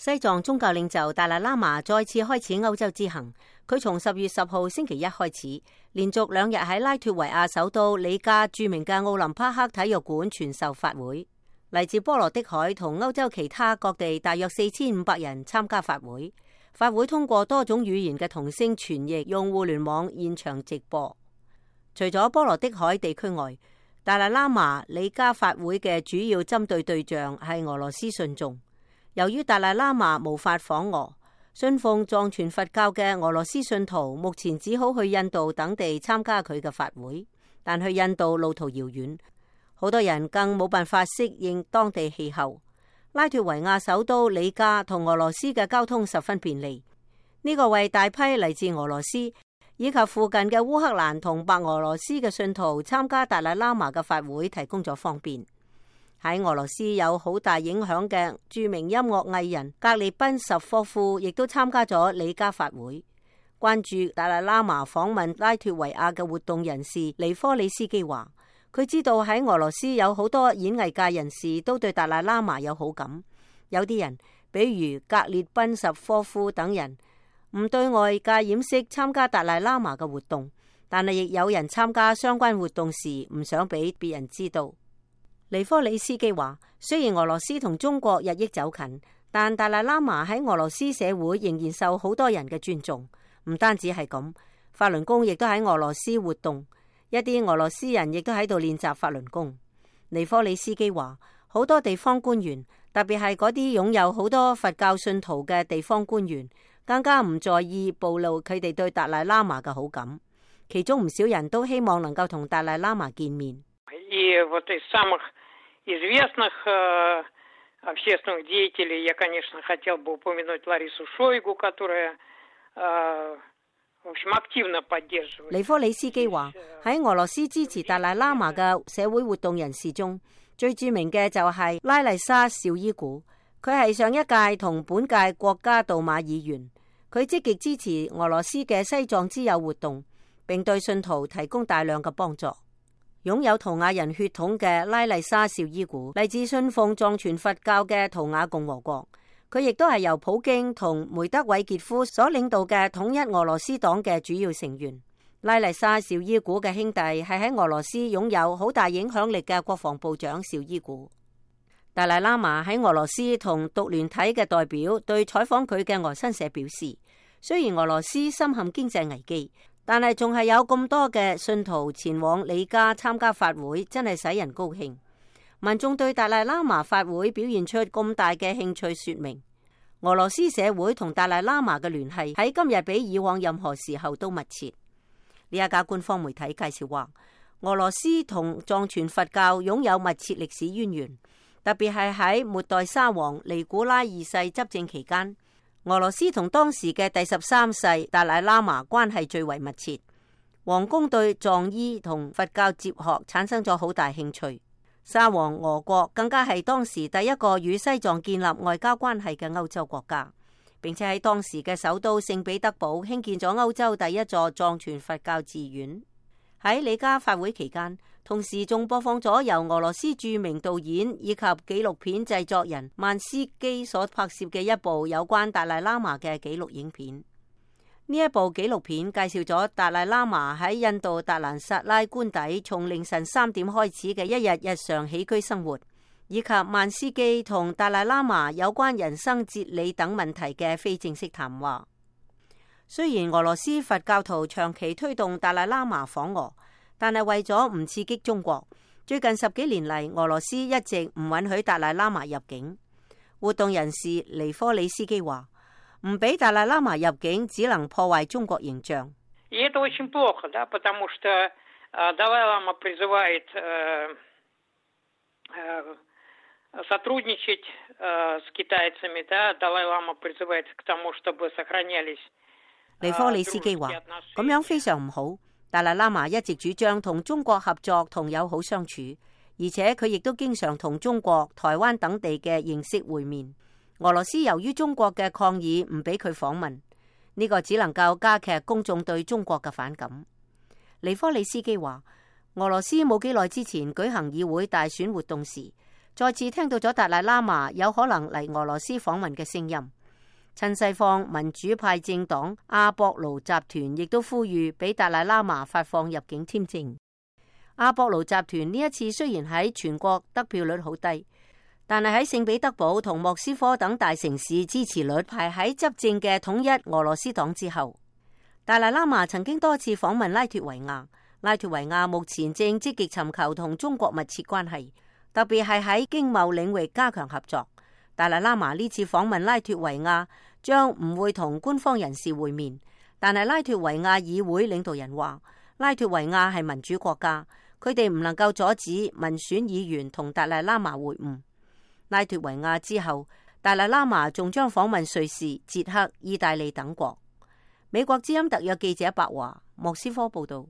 西藏宗教領袖達賴喇嘛再次開始歐洲之行，佢從10月10號星期一開始，連續2日喺拉脫維亞首都里加著名嘅奧林匹克體育館傳授法會。嚟自波羅的海同歐洲其他各地大約4500人參加法會。法會通過多種語言嘅同聲傳譯，用互聯網現場直播。除咗波羅的海地區外，達賴喇嘛里加法會嘅主要針對對象係俄羅斯信眾。由於達賴喇嘛無法訪俄，信奉藏傳佛教嘅俄羅斯信徒目前只好去印度等地參加佢嘅法會，但去印度路途遙遠，好多人更冇辦法適應當地氣候。拉脫維亞首都里加同俄羅斯嘅交通十分便利，呢個為大批嚟自俄羅斯以及附近嘅烏克蘭同白俄羅斯嘅信徒參加達賴喇嘛嘅法會提供咗方便。喺俄羅斯有好大影響嘅著名音樂藝人格列賓什科夫亦都參加咗里加法會。關注達賴喇嘛訪問拉脫維亞嘅活動人士尼科里斯基話，佢知道喺俄羅斯有好多演藝界人士都對達賴喇嘛有好感，有啲人比如格列賓什科夫等人唔對外界掩飾參加達賴喇嘛嘅活動，但係亦有人參加相關活動時唔想俾別人知道。尼科里斯基話，雖然俄羅斯同中國日益走近，但達賴喇嘛喺俄羅斯社會仍然受好多人嘅尊重。唔單止係咁，法輪功亦都喺俄羅斯活動，一啲俄羅斯人亦都喺度練習法輪功。尼科里斯基話，好多地方官員，特別係嗰啲擁有好多佛教信徒嘅地方官員，更加唔在意暴露佢哋對達賴喇嘛嘅好感。其中唔少人都希望能夠同達賴喇嘛見面。известных общественных деятелей я, конечно, хотел бы упомянуть Ларису Шойгу, которая, в общем, активно поддерживает。尼科里斯基話，喺俄羅斯支持達賴喇嘛嘅社會活動人士中，最著名嘅就係拉麗莎紹伊古。佢係上一屆同本屆國家杜馬議員，佢積極支持俄羅斯嘅西藏之友活動，並對信徒提供大量嘅幫助。擁有圖瓦人血統嘅拉麗莎紹伊古嚟自信奉藏傳佛教嘅圖瓦共和國，佢亦都係由普京同梅德韋傑夫所領導嘅統一俄羅斯黨嘅主要成員。拉麗莎紹伊古嘅兄弟係喺俄羅斯擁有好大影響力嘅國防部長紹伊古。達賴喇嘛喺俄羅斯同獨聯體嘅代表對採訪佢嘅俄新社表示，雖然俄羅斯深陷經濟危機，但係仲係有咁多嘅信徒前往里加參加法會，真係使人高興。民眾對達賴喇嘛法會表現出咁大嘅興趣，說明俄羅斯社會同達賴喇嘛嘅聯繫喺今日比以往任何時候都密切。呢一家官方媒體介紹話，俄羅斯同藏傳佛教擁有密切歷史淵源，特別係喺末代沙皇尼古拉二世執政期間，俄羅斯同當時嘅第13世達賴喇嘛關係最為密切，皇宮對藏醫同佛教哲學產生咗好大興趣。沙皇俄國更加係當時第一個與西藏建立外交關係嘅歐洲國家，並且喺當時嘅首都聖彼得堡興建咗歐洲第一座藏傳佛教寺院。喺里加法會期間，同時仲播放咗由俄羅斯著名導演以及紀錄片製作人曼斯基所拍攝嘅一部有關達賴喇嘛嘅紀錄影片。呢一部紀錄片介紹咗達賴喇嘛喺印度達蘭薩拉官邸從凌晨3點開始嘅一日日常起居生活，以及曼斯基同達賴喇嘛有關人生哲理等問題嘅非正式談話。雖然俄羅斯佛教徒長期推動達賴喇嘛訪俄，但係為咗唔刺激中國，最近10幾年嚟，俄羅斯一直唔允許達賴喇嘛入境。活動人士尼科里斯基話，唔俾達賴喇嘛入境只能破壞中國形象。尼科里斯基話，咁樣非常唔好。達賴喇嘛一直主張同中國合作同友好相處，而且佢亦都經常同中國、台灣等地嘅形式會面。俄羅斯由於中國嘅抗議唔俾佢訪問，呢個只能夠加劇公眾對中國嘅反感。尼科里斯基話，俄羅斯冇幾耐之前舉行議會大選活動時，再次聽到咗達賴喇嘛有可能嚟俄羅斯訪問嘅聲音。親西方民主派政黨阿博盧集團亦都呼籲俾達賴喇嘛發放入境簽證。阿博盧集團呢一次雖然喺全國得票率好低，但係喺聖彼得堡同莫斯科等大城市支持率排喺執政嘅統一俄羅斯黨之後。達賴喇嘛曾經多次訪問拉脫維亞，拉脫維亞目前正積極尋求同中國密切關係，特別係喺經貿領域加強合作。達賴喇嘛呢次訪問拉脫維亞將唔會同官方人士會面，但係拉脫維亞議會領導人話，拉脫維亞係民主國家，佢哋唔能夠阻止民選議員同達賴喇嘛會晤。拉脫維亞之後，達賴喇嘛仲將訪問瑞士、捷克、意大利等國。美國之音特約記者白華，莫斯科報道。